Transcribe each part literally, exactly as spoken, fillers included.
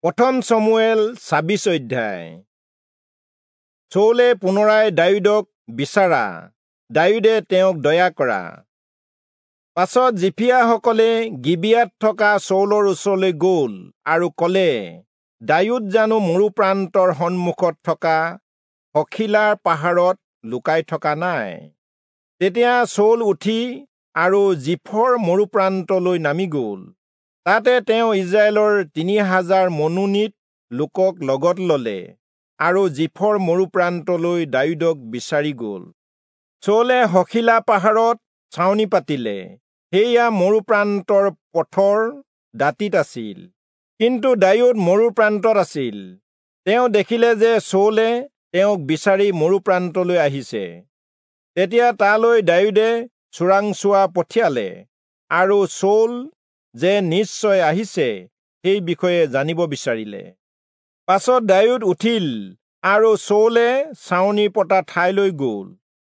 প্ৰথম চমুৱেল ছাব্বিশ অধ্যায়। চৌলে পুনৰাই দায়ূদক বিচাৰা, দায়ূদে তেওঁক দয়া কৰা। পাছত জিফিয়াসকলে গিবিয়াত থকা চৌলৰ ওচৰলৈ গ'ল আৰু ক'লে, দায়ূদ জানো মৰুপ্ৰান্তৰ সন্মুখত থকা হখীলাৰ পাহাৰত লুকাই থকা নাই? তেতিয়া চৌল উঠি আৰু জিফৰ মৰুপ্ৰান্তলৈ নামি গ'ল। তাতে তেওঁ ইজৰাইলৰ তিনি হাজাৰ মনোনীত লোকক লগত ললে আৰু জিফৰ মৰুপ্ৰান্তলৈ দায়ূদক বিচাৰি গ'ল। চৌলে হখীলা পাহাৰত ছাউনি পাতিলে, সেয়া মৰুপ্ৰান্তৰ পথৰ দাঁতিত আছিল। কিন্তু দায়ূদ মৰুপ্ৰান্তত আছিল। তেওঁ দেখিলে যে চৌলে তেওঁক বিচাৰি মৰুপ্ৰান্তলৈ আহিছে। তেতিয়া তালৈ দায়ূদে চোৰাংচোৱা পঠিয়ালে আৰু চৌল যে নিশ্চয় আহিছে সেই বিষয়ে জানিব বিচাৰিলে। পাছত দায়ূদ উঠিল আৰু চৌলে ছাউনি পতা ঠাইলৈ গ'ল।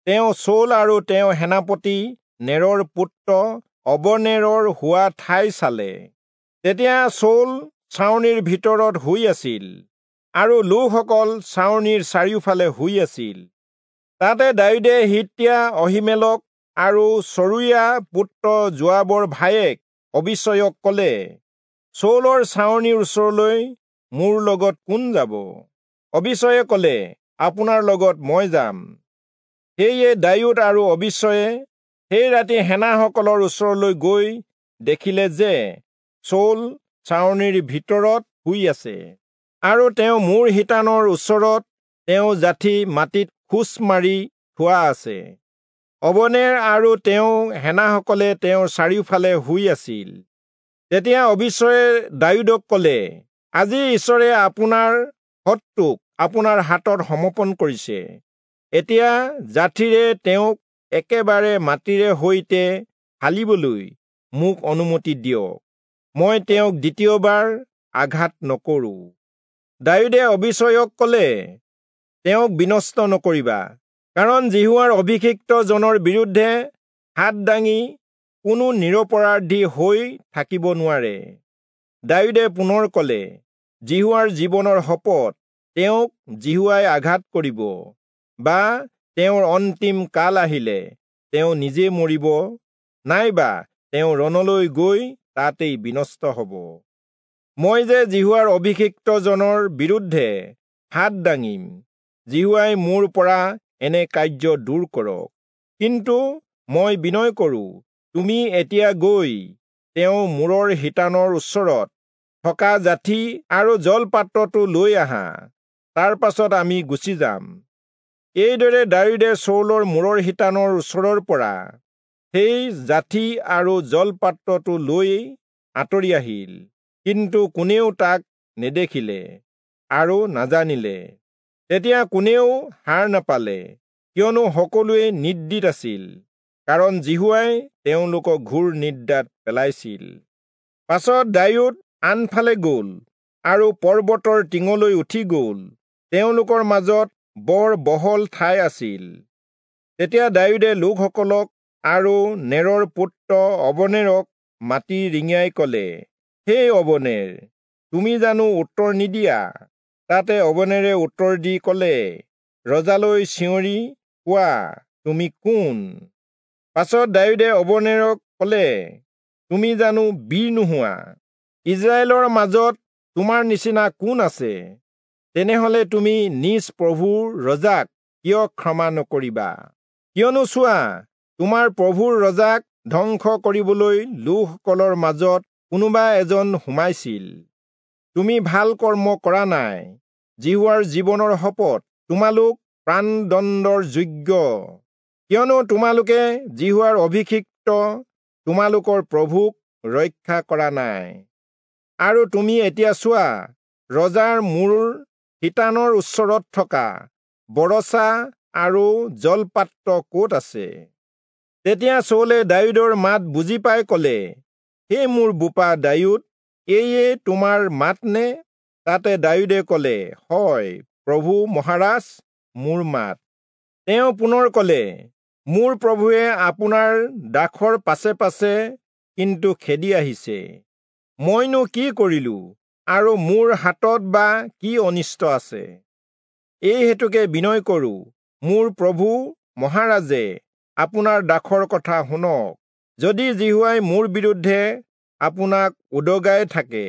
তেওঁ চৌল আৰু তেওঁ সেনাপতি নেৰৰ পুত্ৰ অবনেৰৰ হোৱা ঠাই চালে। তেতিয়া চৌল ছাউনিৰ ভিতৰত শুই আছিল আৰু লোকসকল ছাউনিৰ চাৰিওফালে শুই আছিল। তাতে দায়ূদে হিত্তীয়া অহীমেলক আৰু চৰুয়া পুত্ৰ যোৱাবৰ ভায়েক অবিচয়ক ক'লে, চৌলৰ ছাউনিৰ ওচৰলৈ মোৰ লগত কোন যাব? অবিচয়ে ক'লে, আপোনাৰ লগত মই যাম। সেয়ে দায়ূদ আৰু অবিচয়ে সেই ৰাতি সেনাসকলৰ ওচৰলৈ গৈ দেখিলে যে চৌল ছাউনিৰ ভিতৰত শুই আছে আৰু তেওঁ মূৰ শিতানৰ ওচৰত তেওঁ যাঠি মাটিত খোঁচ মাৰি থোৱা আছে। অবনেৰ আৰু তেওঁ সেনাসকলে তেওঁৰ চাৰিওফালে শুই আছিল। তেতিয়া অবিচয়ে দায়ূদক ক'লে, আজি ঈশ্বৰে আপোনাৰ শত্ৰুক আপোনাৰ হাতত সমৰ্পণ কৰিছে। এতিয়া যাঠিৰে তেওঁক একেবাৰে মাটিৰে সৈতে ফালিবলৈ মোক অনুমতি দিয়ক, মই তেওঁক দ্বিতীয়বাৰ আঘাত নকৰোঁ। দায়ূদে অবিচয়ক ক'লে, তেওঁক বিনষ্ট নকৰিবা, কাৰণ যিহোৱাৰ অভিষিক্ত জনৰ বিৰুদ্ধে হাত দাঙি কোনো নিৰপৰাধী হৈ থাকিব নোৱাৰে। দায়ূদে পুনৰ ক'লে, যিহোৱাৰ জীৱনৰ শপত, তেওঁক যিহোৱাই আঘাত কৰিব, বা তেওঁৰ অন্তিম কাল আহিলে তেওঁ নিজে মৰিব, নাইবা তেওঁ ৰণলৈ গৈ তাতেই বিনষ্ট হ'ব। মই যে যিহোৱাৰ অভিষিক্ত জনৰ বিৰুদ্ধে হাত দাঙিম, যিহোৱাই মোৰ পৰা এনে কাৰ্য দূৰ কৰক। কিন্তু মই বিনয় কৰোঁ, তুমি এতিয়া গৈ তেওঁ মূৰৰ শিতানৰ ওচৰত থকা যাঠি আৰু জলপাত্ৰটো লৈ আহা, তাৰ পাছত আমি গুচি যাম। এইদৰে দায়ূদে চৌলৰ মূৰৰ শিতানৰ ওচৰৰ পৰা সেই যাঠি আৰু জলপাত্ৰটো লৈ আঁতৰি আহিল, কিন্তু কোনেও তাক নেদেখিলে আৰু নাজানিলে। তেতিয়া কোনেও সাৰ নাপালে, কিয়নো সকলোৱে নিদ্ৰিত আছিল, কাৰণ যিহোৱাই তেওঁলোকক ঘোৰ নিদ্ৰাত পেলাইছিল। পাছত দায়ূদ আনফালে গ'ল আৰু পৰ্বতৰ টিঙলৈ উঠি গ'ল। তেওঁলোকৰ মাজত বৰ বহল ঠাই আছিল। তেতিয়া দায়ূদে লোকসকলক আৰু নেৰৰ পুত্ৰ অবনেৰক মাতি ৰিঙিয়াই ক'লে, হে অবনেৰ, তুমি জানো উত্তৰ নিদিয়া? তাতে অবনেৰে উত্তৰ দি ক'লে, ৰজালৈ চিঞৰি কোৱা, তুমি কোন? পাছত দায়ূদে অবনেৰক ক'লে, তুমি জানো বীৰ নোহোৱা? ইজৰাইলৰ মাজত তোমাৰ নিচিনা কোন আছে? তেনেহলে তুমি নিজ প্ৰভুৰ ৰজাক কিয় ক্ষমা নকৰিবা? কিয়নো চোৱা, তোমাৰ প্ৰভুৰ ৰজাক ধ্বংস কৰিবলৈ লোকসকলৰ মাজত কোনোবা এজন সোমাইছিল। তুমি ভাল কৰ্ম কৰা নাই। যিহোৱাৰ জীৱনৰ শপত, তোমালোক প্ৰাণদণ্ডৰ যোগ্য, কিয়নো তোমালোকে যিহোৱাৰ অভিষিক্ত তোমালোকৰ প্ৰভুক ৰক্ষা কৰা নাই। আৰু তুমি এতিয়া চোৱা, ৰজাৰ মূৰ শিতানৰ ওচৰত থকা বৰছা আৰু জলপাত্ৰ ক'ত আছে? তেতিয়া চৌলে দায়ূদৰ মাত বুজি পাই ক'লে, হে মোৰ বোপা দায়ূদ, এয়ে তোমাৰ মাত নে? তাতে দায়ূদে ক'লে, হয় প্ৰভু মহাৰাজ, মোৰ মাত। তেওঁ পুনৰ ক'লে, মোৰ প্ৰভুৱে আপোনাৰ দাসৰ পাছে পাছে কিন্তু খেদি আহিছে। মইনো কি কৰিলো? আৰু মোৰ হাতত বা কি অনিষ্ট আছে? এই হেতুকে বিনয় কৰো, মোৰ প্ৰভু মহাৰাজে আপোনাৰ দাসৰ কথা শুনক। যদি যিহোৱাই মোৰ বিৰুদ্ধে আপোনাক উদগাই থাকে,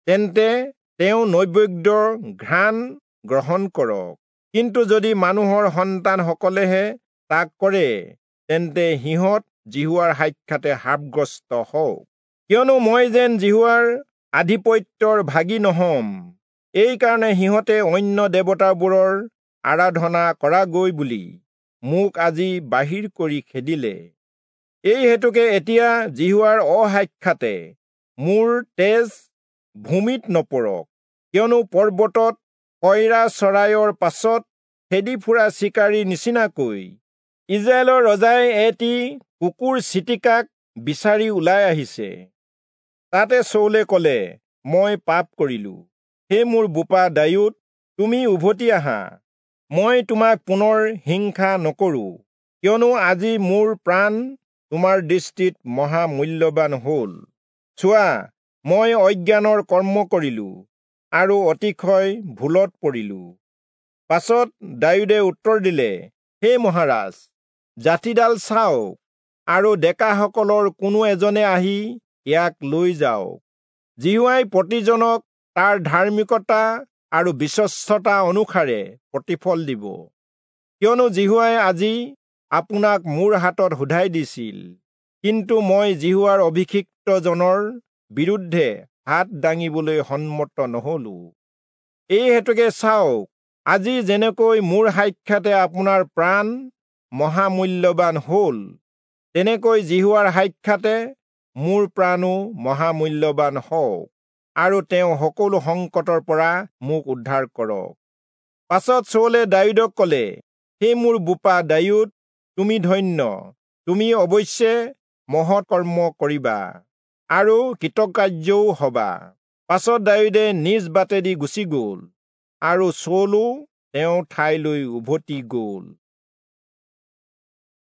তেন্তে তেওঁ নৈবেদ্যৰ ঘ্ৰাণ গ্ৰহণ কৰক, কিন্তু যদি মানুহৰ সন্তানসকলেহে তাক কৰে, তেন্তে সিহঁত যিহোৱাৰ সাক্ষাতে শাপগ্ৰস্ত হওক। কিয়নো মই যেন যিহোৱাৰ আধিপত্যৰ ভাগী নহম, এইকাৰণে সিহঁতে অন্য দেৱতাবোৰৰ আৰাধনা কৰাগৈ বুলি মোক আজি বাহিৰ কৰি খেদিলে। এই হেতুকে এতিয়া যিহোৱাৰ অসাক্ষাতে মোৰ তেজ ভূমিত নপৰক, কিয়নো পৰ্বতত কইৰা চৰাইৰ পাছত খেদি ফুৰা চিকাৰীৰ নিচিনাকৈ ইজৰাইলৰ ৰজাই এটি কুকুৰ চিটিকাক বিচাৰি ওলাই আহিছে। তাতে চৌলে কলে, মই পাপ কৰিলো। হে মোৰ বোপা দায়ূদ, তুমি উভতি আহা, মই তোমাক পুনৰ হিংসা নকৰো, কিয়নো আজি মোৰ প্ৰাণ তোমাৰ দৃষ্টিত মহামূল্যৱান হল। চোৱা, মই অজ্ঞানৰ কৰ্ম কৰিলো আৰু অতিশয় ভুলত পৰিলো। পাছত দায়ূদে উত্তৰ দিলে, হে মহাৰাজ, যাঠিডাল চাওক, আৰু ডেকাসকলৰ কোনো এজনে আহি ইয়াক লৈ যাওক। যিহোৱাই প্ৰতিজনক তাৰ ধাৰ্মিকতা আৰু বিশ্বস্ততা অনুসাৰে প্ৰতিফল দিব, কিয়নো যিহোৱাই আজি আপোনাক মোৰ হাতত শোধাই দিছিল, কিন্তু মই যিহোৱাৰ অভিষিক্তজনৰ বিৰুদ্ধে হাত দাঙিবলৈ সন্মত নহলো। এই হেতুকে চাওক, আজি যেনেকৈ মোৰ সাক্ষাতে আপোনাৰ প্ৰাণ মহামূল্যৱান হল, তেনেকৈ যিহোৱাৰ সাক্ষাতে মোৰ প্ৰাণো মহামূল্যৱান হওক, আৰু তেওঁ সকলো সংকটৰ পৰা মোক উদ্ধাৰ কৰক। পাছত চৌলে দায়ূদক কলে, হে মোৰ বোপা দায়ূদ, তুমি ধন্য, তুমি অৱশ্যে মহৎ কৰ্ম কৰিবা আৰু কৃতকাৰ্যও হবা। পাছত দায়ূদে নিজ বাটেদি গুচি গল, আৰু চৌলো তেওঁৰ ঠাইলৈ উভতি গল।